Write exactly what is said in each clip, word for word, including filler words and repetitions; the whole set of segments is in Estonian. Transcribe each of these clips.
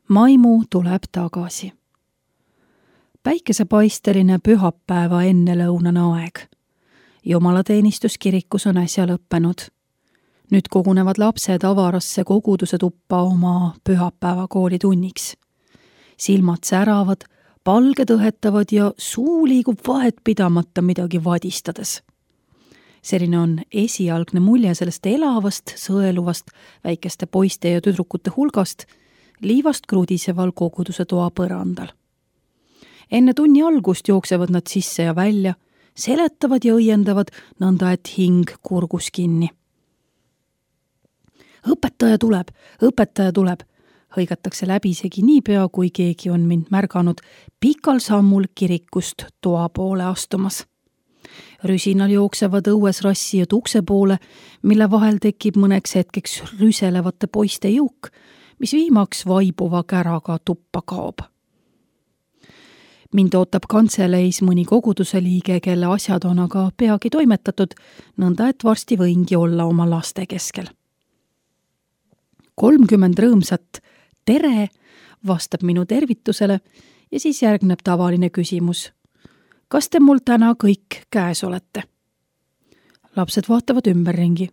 Maimu tuleb tagasi. Päikesepaisteline pühapäeva ennelõunane aeg. Jumalateenistus kirikus on äsja lõppenud. Nüüd kogunevad lapsed avarasse koguduse tuppa oma pühapäeva koolitunniks. Silmad säravad, palged õhetavad ja suu liigub vahet pidamata midagi vadistades. Selline on esialgne mulje sellest elavast, sõeluvast väikeste poiste ja tüdrukute hulgast, liivast krudiseval koguduse toa põrandal. Enne tunni algust jooksevad nad sisse ja välja, seletavad ja õiendavad nõnda, et hing kurgus kinni. Õpetaja tuleb, õpetaja tuleb, hõigatakse läbisegi niipea, kui keegi on mind märganud pikal sammul kirikust toa poole astumas. Rüsinal jooksevad õues rassijad ukse poole, mille vahel tekib mõneks hetkeks rüselevate poiste jõuk, mis viimaks vaibuva käraga tuppa kaob. Mind ootab kantseleis mõni koguduse liige, kelle asjad on aga peagi toimetatud, nõnda et varsti võingi olla oma laste keskel. kolmkümmend rõõmsat tere vastab minu tervitusele ja siis järgneb tavaline küsimus. Kas te mul täna kõik käes olete? Lapsed vaatavad ümberringi.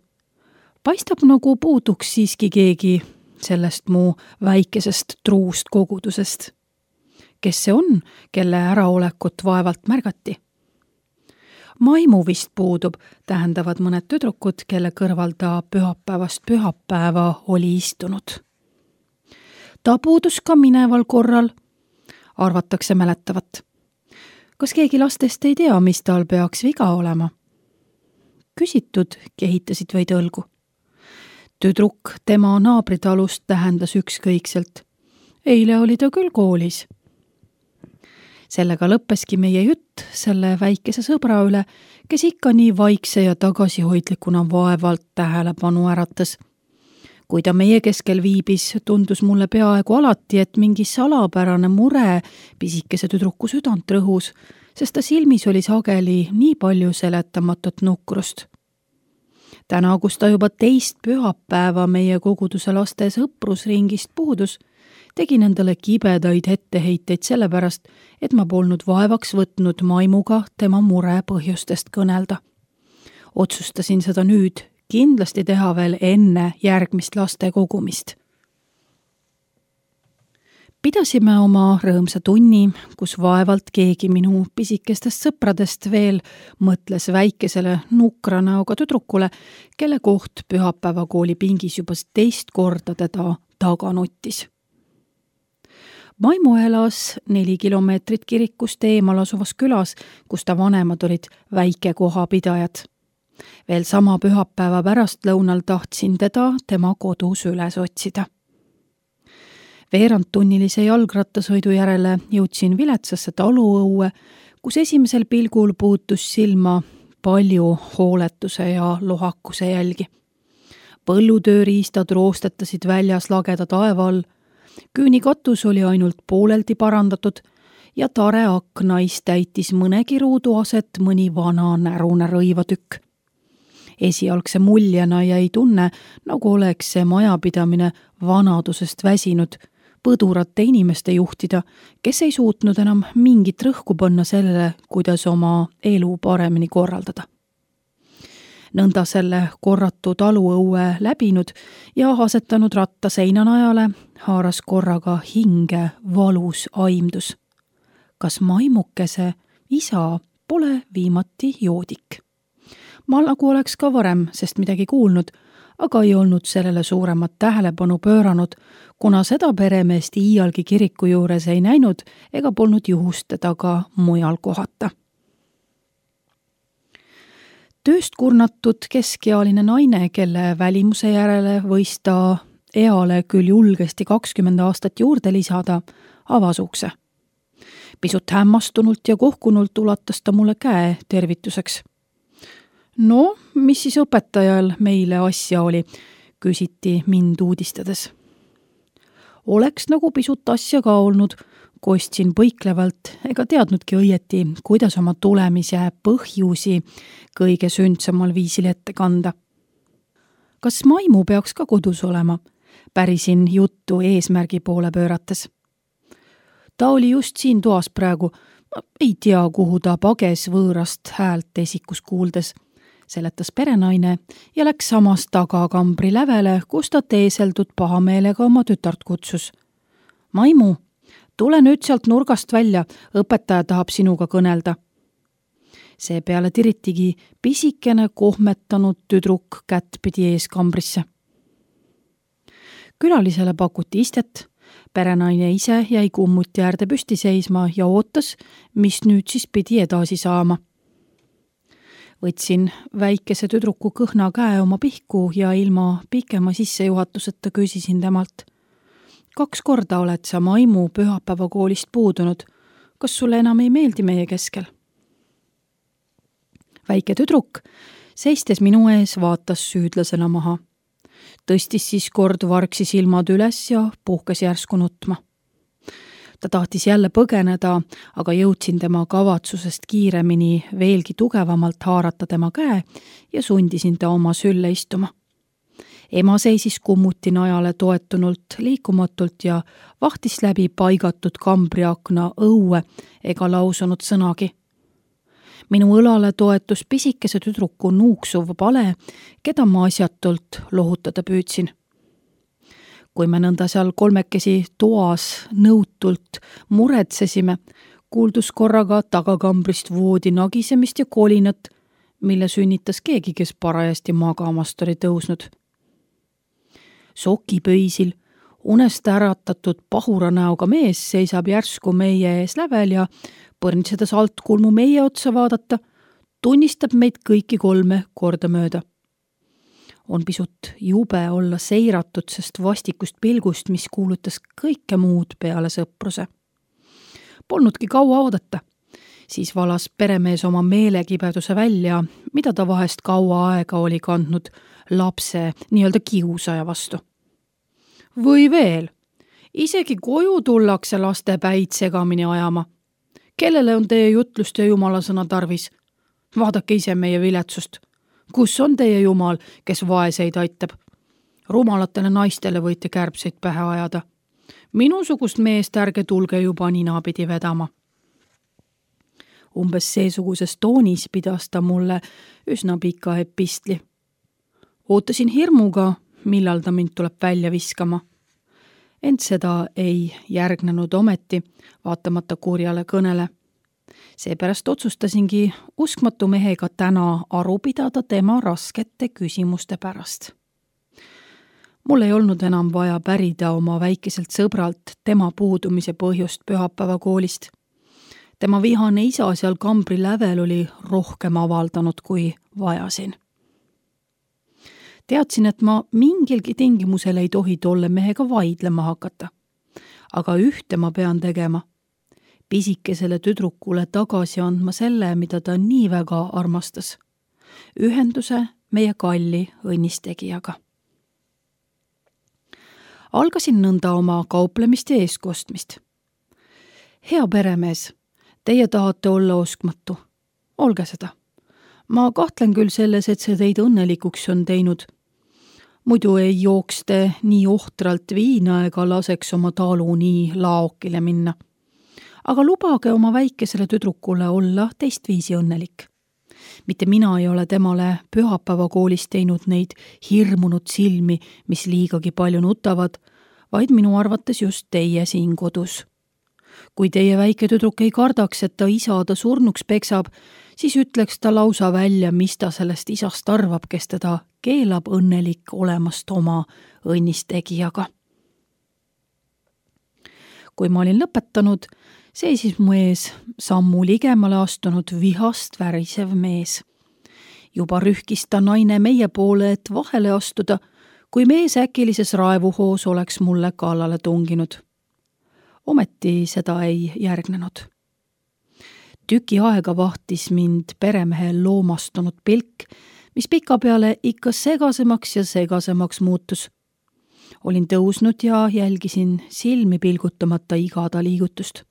Paistab nagu puuduks siiski keegi sellest mu väikesest truust kogudusest. Kes see on, kelle äraolekut vaevalt märgati? Maimu vist puudub, tähendavad mõned tüdrukud, kelle kõrval ta pühapäevast pühapäeva oli istunud. Ta puudus ka mineval korral, arvatakse mäletavat. Kas keegi lastest ei tea, mis tal peaks viga olema? Küsitud kehitasid vaid õlgu. Tüdruk tema naabritalust tähendas ükskõikselt. Eile oli ta küll koolis. Sellega lõppeski meie jutt selle väikese sõbra üle, kes ikka nii vaikse ja tagasihoidlikuna vaevalt tähelepanu äratas. Kui ta meie keskel viibis, tundus mulle peaaegu alati, et mingi salapärane mure pisikese tüdruku südant rõhus, sest ta silmis oli sageli nii palju seletamatut nukrust. Täna, kus ta juba teist pühapäeva meie koguduse laste sõprusringist puudus, tegin endale kibedaid etteheiteid sellepärast, et ma polnud vaevaks võtnud Maimuga tema mure põhjustest kõnelda. Otsustasin seda nüüd kindlasti teha veel enne järgmist laste kogumist. Pidasime oma rõõmsa tunni, kus vaevalt keegi minu pisikestest sõpradest veel mõtles väikesele nukra näoga tüdrukule, kelle koht pühapäeva kooli pingis juba teist korda teda taga nuttis. Maimu elas neli kilomeetrit kirikust eemal asuvas külas, kus ta vanemad olid väike kohapidajad. Veel sama pühapäeva pärast lõunal tahtsin teda tema kodus üles otsida. Veerandtunnilise jalgrattasõidu järele jõudsin viletsasse taluõue, kus esimesel pilgul puutus silma palju hooletuse ja lohakuse jälgi. Põllutööriistad roostetasid väljas lageda taeva all, küünikatus oli ainult pooleldi parandatud ja tare aknais täitis mõnegi ruudu aset mõni vana närune rõivatükk. Esialgse muljena jäi tunne, nagu oleks see majapidamine vanadusest väsinud, põdurate inimeste juhtida, kes ei suutnud enam mingit rõhku panna sellele, kuidas oma elu paremini korraldada. Nõnda selle korratu taluõue läbinud ja asetanud ratta seinanajale, haaras korraga hinge valus aimdus. Kas Maimukese isa pole viimati joodik? Ma nagu oleks ka varem, sest midagi kuulnud, aga ei olnud sellele suuremat tähelepanu pööranud, kuna seda peremeest iialgi kiriku juures ei näinud ega polnud juhust teda ka mujal kohata. Tööst kurnatud keskealine naine, kelle välimuse järele võis ta eale küll julgesti kakskümmend aastat juurde lisada, avas ukse. Pisut hämmastunult ja kohkunult ulatas ta mulle käe tervituseks. No, mis siis õpetajal meile asja oli, küsiti mind uudistades. Oleks nagu pisut asja ka olnud, kostsin põiklevalt ega teadnudki õieti, kuidas oma tulemise põhjusi kõige sündsamal viisil ette kanda. Kas Maimu peaks ka kodus olema? pärisin juttu eesmärgi poole pöörates. Ta oli just siin toas praegu, ei tea, kuhu ta pages võõrast häält esikus kuuldes, seletas perenaine ja läks samas tagakambri lävele, kus ta teeseldud pahameelega oma tütart kutsus. Maimu, tule nüüd sealt nurgast välja, õpetaja tahab sinuga kõnelda. Seepeale tiritigi pisikene kohmetanud tüdruk kättpidi ees kambrisse. Külalisele pakuti istet, perenaine ise jäi kummuti äärde püsti seisma ja ootas, mis nüüd siis pidi edasi saama. Võtsin väikese tüdruku kõhna käe oma pihku ja ilma pikema sissejuhatuseta küsisin temalt. Kaks korda oled sa Maimu pühapäevakoolist puudunud. Kas sulle enam ei meeldi meie keskel? Väike tüdruk seistes minu ees vaatas süüdlasena maha. Tõstis siis kord vargsi silmad üles ja puhkas järsku nutma. Ta tahtis jälle põgeneda, aga jõudsin tema kavatsusest kiiremini veelgi tugevamalt haarata tema käe ja sundisin ta oma sülle istuma. Ema seisis kummuti najale toetunult liikumatult ja vahtis läbi paigatud kambriakna õue ega lausunud sõnagi. Minu õlale toetus pisikese tüdruku nuuksuv pale, keda ma asjatult lohutada püüdsin. Kui me nõnda seal kolmekesi toas nõutult muretsesime, kuuldus korraga tagakambrist voodi nagisemist ja kolinat, mille sünnitas keegi, kes parajasti magamast oli tõusnud. Sokipöisil unest äratatud pahura näoga mees seisab järsku meie ees lävel ja põrnitsedes altkulmu meie otsa vaadata, tunnistab meid kõiki kolme korda mööda. On pisut jube olla seiratud, sest vastikust pilgust, mis kuulutas kõike muud peale sõpruse. Polnudki kaua oodata. Siis valas peremees oma meelekibeduse välja, mida ta vahest kaua aega oli kandnud lapse nii-öelda kiusaja vastu. Või veel, isegi koju tullakse laste päid segamini ajama. Kellele on teie jutlust ja jumala sõna tarvis? Vaadake ise meie viletsust. Kus on teie jumal, kes vaeseid aitab? Rumalatele naistele võite kärbseid pähe ajada. Minusugust meest ärge tulge juba ninapidi vedama. Umbes seesuguses toonis pidas ta mulle üsna pika epistli. Ootasin hirmuga, millal ta mind tuleb välja viskama. Ent seda ei järgnenud ometi, vaatamata kurjale kõnele. Seepärast otsustasingi uskmatu mehega täna aru pidada tema raskete küsimuste pärast. Mul ei olnud enam vaja pärida oma väikeselt sõbralt tema puudumise põhjust pühapäevakoolist. Tema vihane isa seal kambri lävel oli rohkem avaldanud, kui vajasin. Teadsin, et ma mingilgi tingimusel ei tohi tolle mehega vaidlema hakata. Aga ühte ma pean tegema. Pisikesele tüdrukule tagasi andma selle, mida ta nii väga armastas. Ühenduse meie kalli õnnistegijaga. Algasin nõnda oma kauplemist ja eeskostmist. Hea peremees, teie tahate olla oskmatu. Olge seda. Ma kahtlen küll selles, et see teid õnnelikuks on teinud. Muidu ei jookste nii ohtralt viina ega laseks oma talu nii laokile minna. Aga lubage oma väikesele tüdrukule olla teistviisi õnnelik. Mitte mina ei ole temale pühapäevakoolis teinud neid hirmunud silmi, mis liigagi palju nutavad, vaid minu arvates just teie siin kodus. Kui teie väike tüdruk ei kardaks, et ta isa ta surnuks peksab, siis ütleks ta lausa välja, mis ta sellest isast arvab, kes teda keelab õnnelik olemast oma õnnistegijaga. Kui ma olin lõpetanud, seisis mu ees sammu ligemale astunud vihast värisev mees. Juba rühkis ta naine meie poole, et vahele astuda, kui mees äkilises raevuhoos oleks mulle kallale tunginud. Ometi seda ei järgnenud. Tüki aega vahtis mind peremehe loomastunud pilk, mis pika peale ikka segasemaks ja segasemaks muutus. Olin tõusnud ja jälgisin silmi pilgutamata igada liigutust.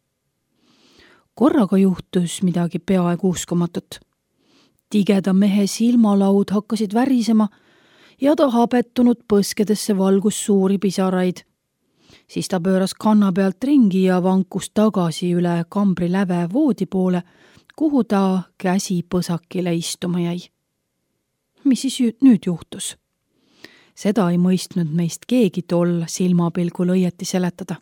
Korraga juhtus midagi peaaegu uskumatut. Tigeda mehe silmalaud hakkasid värisema ja ta habetunud põskedesse valgus suuri pisaraid. Siis ta pööras kanna pealt ringi ja vankus tagasi üle kambri läve voodi poole, kuhu ta käsi põsakile istuma jäi. Mis siis nüüd juhtus? Seda ei mõistnud meist keegi tol silmapilgul õieti seletada.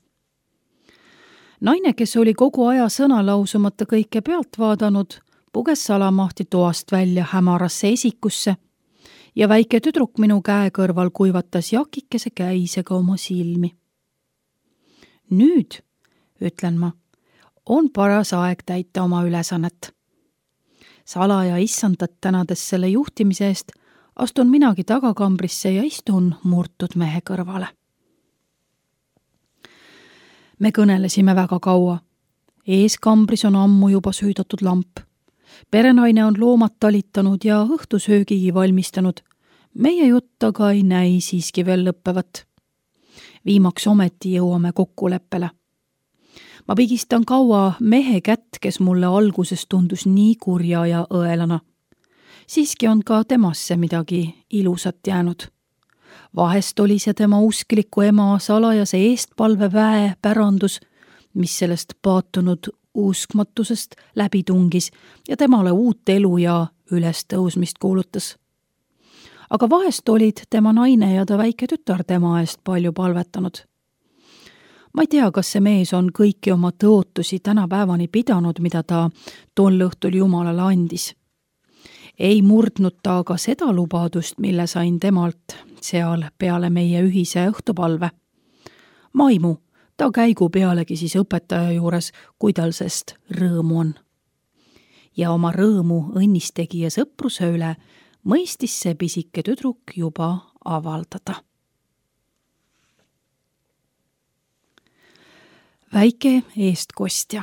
Naine, kes oli kogu aja sõna lausumata kõike pealt vaadanud, puges salamahti toast välja hämarasse esikusse ja väike tüdruk minu käe kõrval kuivatas jakikese käisega oma silmi. Nüüd, ütlen ma, on paras aeg täita oma ülesannet. Salaja issandat tänades selle juhtimise eest astun minagi tagakambrisse ja istun murtud mehe kõrvale. Me kõnelesime väga kaua. Ees kambris on ammu juba süüdatud lamp. Perenaine on loomad talitanud ja õhtusöögigi valmistanud. Meie jutt aga ei näi siiski veel lõppevat. Viimaks ometi jõuame kokkuleppele. Ma pigistan kaua mehe kätt, kes mulle alguses tundus nii kurja ja õelana. Siiski on ka temasse midagi ilusat jäänud. Vahest oli see tema uskliku ema salajase eestpalve väe pärandus, mis sellest paatunud uskmatusest läbi tungis ja temale uut elu ja ülestõusmist kuulutas. Aga vahest olid tema naine ja ta väike tütar tema eest palju palvetanud. Ma ei tea, kas see mees on kõiki oma tõotusi tänapäevani pidanud, mida ta tol õhtul Jumalale andis. Ei murdnud ta aga seda lubadust, mille sain temalt seal peale meie ühise õhtupalve. Maimu, ta käigu pealegi siis õpetaja juures, kui tal sest rõõmu on. Ja oma rõõmu õnnistegija sõpruse üle mõistis see pisike tüdruk juba avaldada. Väike eestkostja.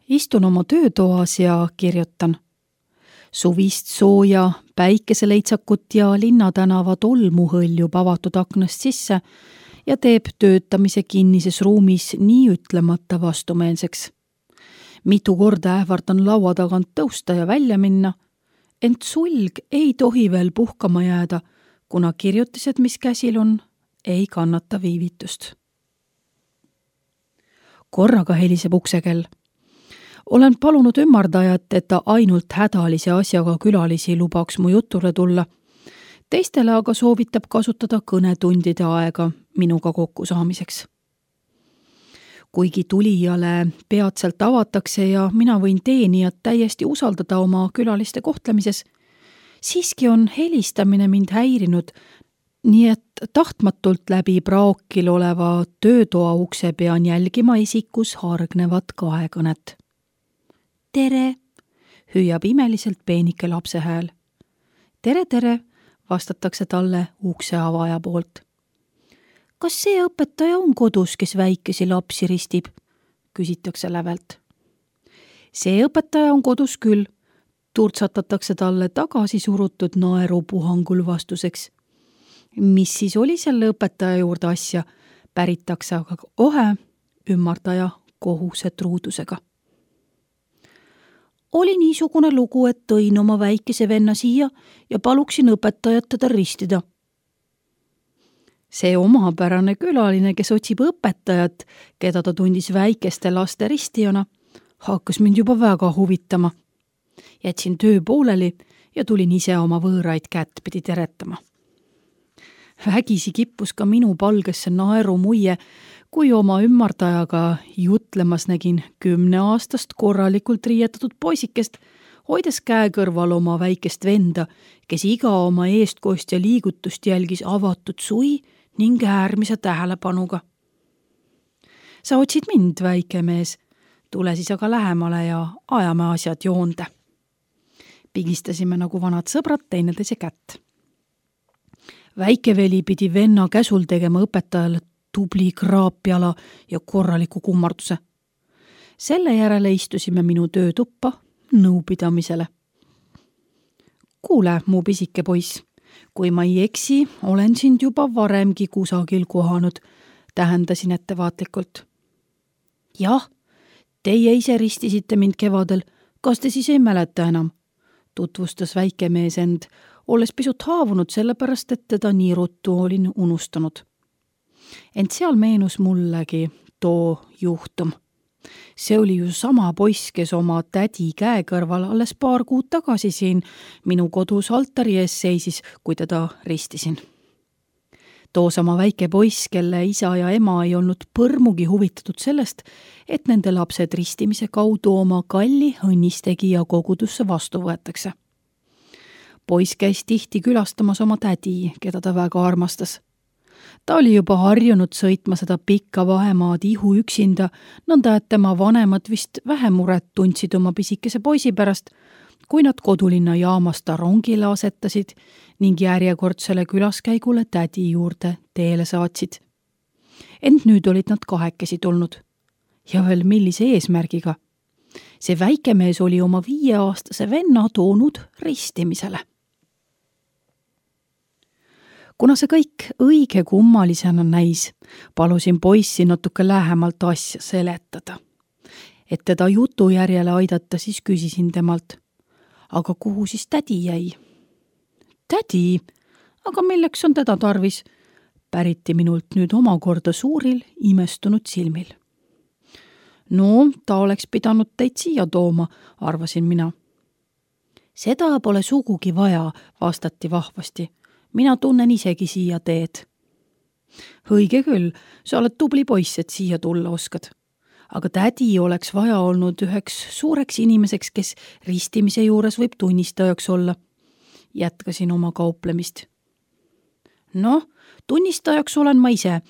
Istun oma töötoas ja kirjutan. Suvist sooja, päikeseleitsakut ja linnatänava tolmu hõljub avatud aknast sisse ja teeb töötamise kinnises ruumis nii ütlemata vastumeelseks. Mitu korda ähvardan laua tagant tõusta ja välja minna, ent sulg ei tohi veel puhkama jääda, kuna kirjutised, mis käsil on, ei kannata viivitust. Korraga heliseb uksekell. Olen palunud ümardajat, et ta ainult hädalise asjaga külalisi lubaks mu jutule tulla. Teistele aga soovitab kasutada kõnetundide aega minuga kokkusaamiseks. Kuigi tulijale peatselt avatakse ja mina võin teenijat täiesti usaldada oma külaliste kohtlemises, siiski on helistamine mind häirinud, nii et tahtmatult läbi praokil oleva töötoa ukse pean jälgima isikus hargnevat kahekõnet. Tere, hüüab imeliselt peenike lapse hääl. Tere, tere, vastatakse talle ukse avaja poolt. Kas see õpetaja on kodus, kes väikesi lapsi ristib? Küsitakse lävelt. See õpetaja on kodus küll, turtsatatakse talle tagasi surutud naerupuhangul vastuseks. Mis siis oli selle õpetaja juurde asja, päritakse aga kohe ümardaja kohuse truudusega. Oli niisugune lugu, et tõin oma väikese venna siia ja paluksin õpetajat teda ristida. See omapärane külaline, kes otsib õpetajat, keda ta tundis väikeste laste ristijana, hakkas mind juba väga huvitama. Jätsin töö pooleli ja tulin ise oma võõraid kättpidi teretama. Vägisi kippus ka minu palgesse naeru muie, kui oma ümardajaga jutlemas nägin kümneaastast korralikult riietatud poisikest, hoides käe kõrval oma väikest venda, kes iga oma eestkostja liigutust jälgis avatud sui ning äärmise tähelepanuga. Sa otsid mind, väike mees, tule siis aga lähemale ja ajame asjad joonde. Pigistasime nagu vanad sõbrad teineteise kätt. Väikeveli pidi venna käsul tegema õpetajale tubli kraapjala ja korraliku kummarduse. Selle järele istusime minu töötuppa nõupidamisele. Kuule, mu pisike poiss, kui ma ei eksi, olen sind juba varemgi kusagil kohanud, tähendasin ettevaatlikult. Jah, teie ise ristisite mind kevadel, kas te siis ei mäleta enam? Tutvustas väike mees end olles pisut haavunud sellepärast, et teda nii ruttu olin unustanud. Ent seal meenus mullegi too juhtum. See oli ju sama poiss, kes oma tädi käe kõrval alles paar kuud tagasi siin minu kodus altari ees seisis, kui teda ristisin. Too sama väike poiss, kelle isa ja ema ei olnud põrmugi huvitatud sellest, et nende lapsed ristimise kaudu oma kalli õnnistegija kogudusse vastu võetakse. Poiss käis tihti külastamas oma tädi, keda ta väga armastas. Ta oli juba harjunud sõitma seda pikka vahemaad ihu üksinda, nõnda et tema vanemad vist vähem muret tundsid oma pisikese poisi pärast, kui nad kodulinna jaamast ta rongile asetasid ning järjekordsele külaskäigule tädi juurde teele saatsid. Ent nüüd olid nad kahekesi tulnud. Ja veel millise eesmärgiga? See väike mees oli oma viieaastase venna toonud ristimisele. Kuna see kõik õige kummalisena näis, palusin poissi natuke lähemalt asja seletada. Et teda jutu järjele aidata, siis küsisin temalt, aga kuhu siis tädi jäi? Tädi? Aga milleks on teda tarvis? Päriti minult nüüd omakorda suuril, imestunud silmil. No, ta oleks pidanud teid siia tooma, arvasin mina. Seda pole sugugi vaja, vastati vahvasti. Mina tunnen isegi siia teed. Õige küll, sa oled tubli poiss, et siia tulla oskad. Aga tädi oleks vaja olnud üheks suureks inimeseks, kes ristimise juures võib tunnistajaks olla. Jätkasin oma kauplemist. Noh, tunnistajaks olen ma ise,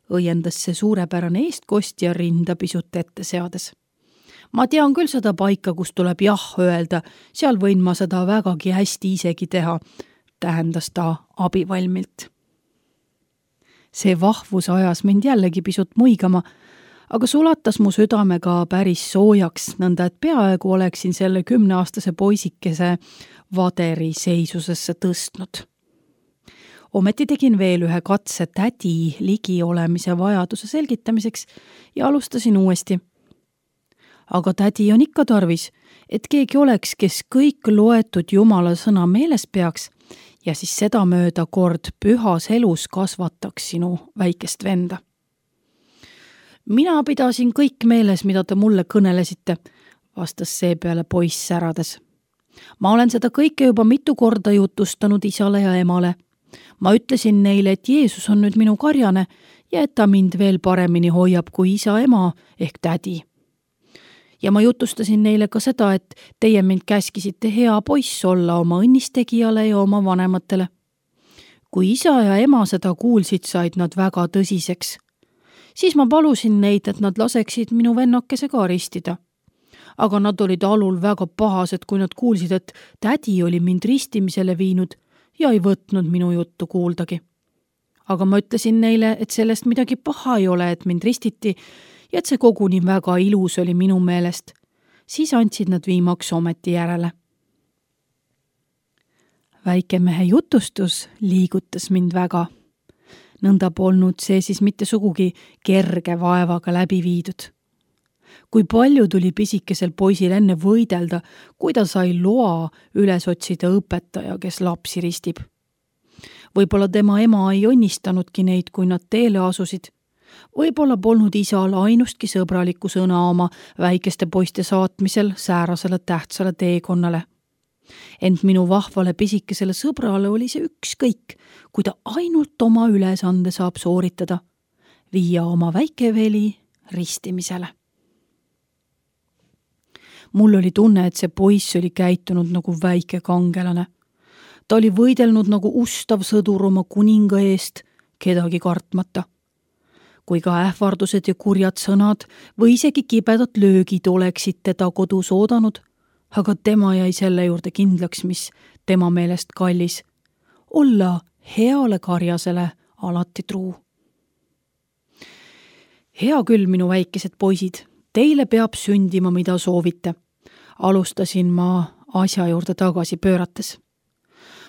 õiendas see suurepärane eestkostja rinda pisut ette seades. Ma tean küll seda paika, kus tuleb jah öelda, seal võin ma seda vägagi hästi isegi teha, tähendas ta abivalmilt. See vahvus ajas mind jällegi pisut muigama, aga sulatas mu südame ka päris soojaks, nõnda et peaaegu oleksin selle kümneaastase poisikese vaderi seisusesse tõstnud. Ometi tegin veel ühe katse tädi ligi olemise vajaduse selgitamiseks ja alustasin uuesti. Aga tädi on ikka tarvis, et keegi oleks, kes kõik loetud Jumala sõna meeles peaks ja siis seda mööda kord pühas elus kasvataks sinu väikest venda. Mina pidasin kõik meeles, mida te mulle kõnelesite, vastas seepeale poiss särades. Ma olen seda kõike juba mitu korda jutustanud isale ja emale. Ma ütlesin neile, et Jeesus on nüüd minu karjane ja et ta mind veel paremini hoiab kui isa ema ehk tädi. Ja ma jutustasin neile ka seda, et teie mind käskisite hea poiss olla oma õnnistegijale ja oma vanematele. Kui isa ja ema seda kuulsid, said nad väga tõsiseks. Siis ma palusin neid, et nad laseksid minu vennakese ka ristida. Aga nad olid alul väga pahased, kui nad kuulsid, et tädi oli mind ristimisele viinud ja ei võtnud minu juttu kuuldagi. Aga ma ütlesin neile, et sellest midagi paha ei ole, et mind ristiti ja et see koguni väga ilus oli minu meelest. Siis andsid nad viimaks ometi järele. Väikemehe jutustus liigutas mind väga. Nõnda polnud see siis mitte sugugi kerge vaevaga läbi viidud. Kui palju tuli pisikesel poisil enne võidelda, kui ta sai loa üles otsida õpetaja, kes lapsi ristib. Võib-olla tema ema ei õnnistanudki neid, kui nad teele asusid. Võib-olla polnud isal ainustki sõbralikku sõna oma väikeste poiste saatmisel säärasele tähtsale teekonnale. Ent minu vahvale pisikesele sõbrale oli see ükskõik, kui ta ainult oma ülesande saab sooritada, viia oma väikeveli ristimisele. Mul oli tunne, et see poiss oli käitunud nagu väike kangelane. Ta oli võidelnud nagu ustav sõdur oma kuninga eest, kedagi kartmata. Kui ka ähvardused ja kurjad sõnad või isegi kibedad löögid oleksid teda kodus oodanud, aga tema jäi selle juurde kindlaks, mis tema meelest kallis. Olla heale karjasele alati truu. Hea küll, minu väikesed poisid, teile peab sündima, mida soovite. Alustasin ma asja juurde tagasi pöörates.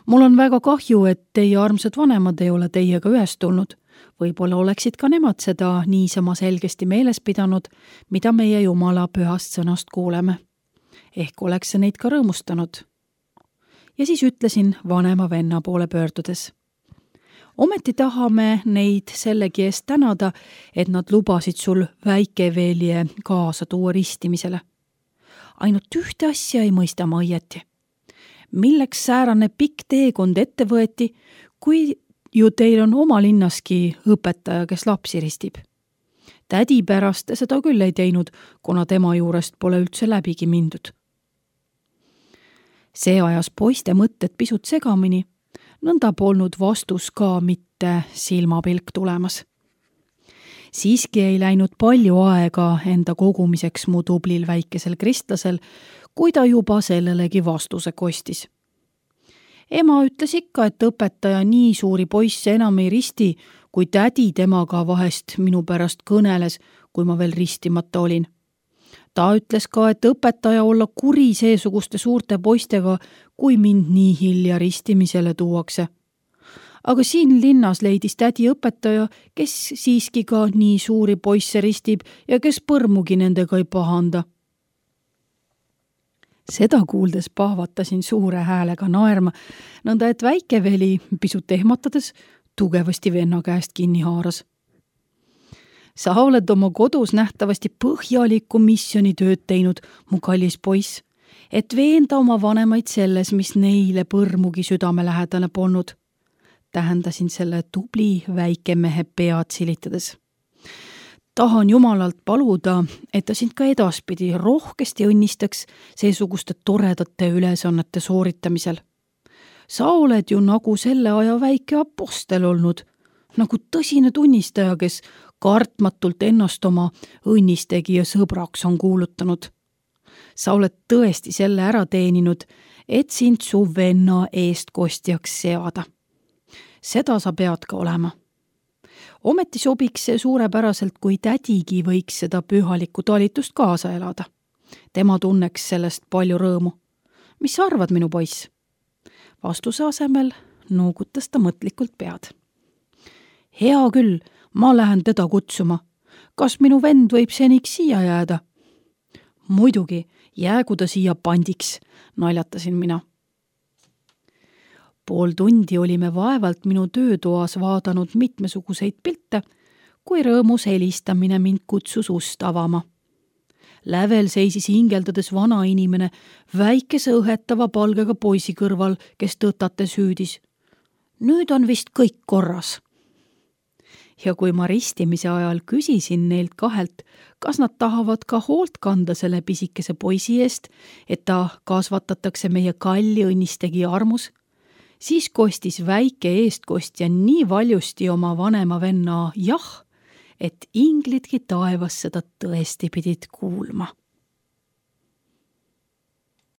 Mul on väga kahju, et teie armsad vanemad ei ole teiega ühes tulnud. Võib-olla oleksid ka nemad seda niisama selgesti meeles pidanud, mida meie Jumala pühast sõnast kuuleme. Ehk oleks see neid ka rõõmustanud. ja siis ütlesin vanema venna poole pöördudes. Ometi tahame neid sellegi eest tänada, et nad lubasid sul väikevelje kaasa tuua ristimisele. Ainult ühte asja ei mõista ma õieti. Milleks säärane pikk teekond ette võeti, kui ju teil on oma linnaski õpetaja, kes lapsi ristib? Tädi pärast seda küll ei teinud, kuna tema juurest pole üldse läbigi mindud. See ajas poiste mõtted pisut segamini, nõnda polnud vastus ka mitte silmapilk tulemas. Siiski ei läinud palju aega enda kogumiseks mu tublil väikesel kristlasel, kui ta juba sellelegi vastuse kostis. Ema ütles ikka, et õpetaja nii suuri poisse enam ei risti, kui tädi temaga vahest minu pärast kõneles, kui ma veel ristimata olin. Ta ütles ka, et õpetaja olla kuri seesuguste suurte poistega, kui mind nii hilja ristimisele tuuakse. Aga siin linnas leidis tädi õpetaja, kes siiski ka nii suuri poisse ristib ja kes põrmugi nendega ei pahanda. Seda kuuldes pahvatasin suure häälega naerma, nõnda et väikeveli pisut ehmatades tugevasti venna käest kinni haaras. Sa oled oma kodus nähtavasti põhjalikku missionitööd teinud, mu kallis poiss, et veenda oma vanemaid selles, mis neile põrmugi südamelähedane polnud. Tähendasin selle tubli väikemehe pead silitades. Tahan Jumalalt paluda, et ta sind ka edaspidi rohkesti õnnistaks seesuguste toredate ülesannete sooritamisel. Sa oled ju nagu selle aja väike apostel olnud, nagu tõsine tunnistaja, kes kartmatult ennast oma õnnistegija sõbraks on kuulutanud. Sa oled tõesti selle ära teeninud, et sind su venna eestkostjaks seada. Seda sa pead ka olema. Ometi sobiks see suurepäraselt, kui tädigi võiks seda pühalikku talitust kaasa elada. Tema tunneks sellest palju rõõmu. Mis sa arvad, minu poiss? Vastuse asemel nuugutas ta mõtlikult pead. Hea küll, ma lähen teda kutsuma. Kas minu vend võib seniks siia jääda? Muidugi, jäägu ta siia pandiks, naljatasin mina. Pool tundi olime vaevalt minu töötoas vaadanud mitmesuguseid pilte, kui rõõmus helistamine mind kutsus ust avama. Lävel seisis hingeldades vana inimene väikese õhetava palgega poisi kõrval, kes tõtates hüüdis. Nüüd on vist kõik korras. Ja kui ma ristimise ajal küsisin neilt kahelt, kas nad tahavad ka hoolt kanda selle pisikese poisi eest, et ta kasvatatakse meie kalli õnnistegi armus, siis kostis väike eestkostja nii valjusti oma vanema venna jah, et inglidki taevas seda tõesti pidid kuulma.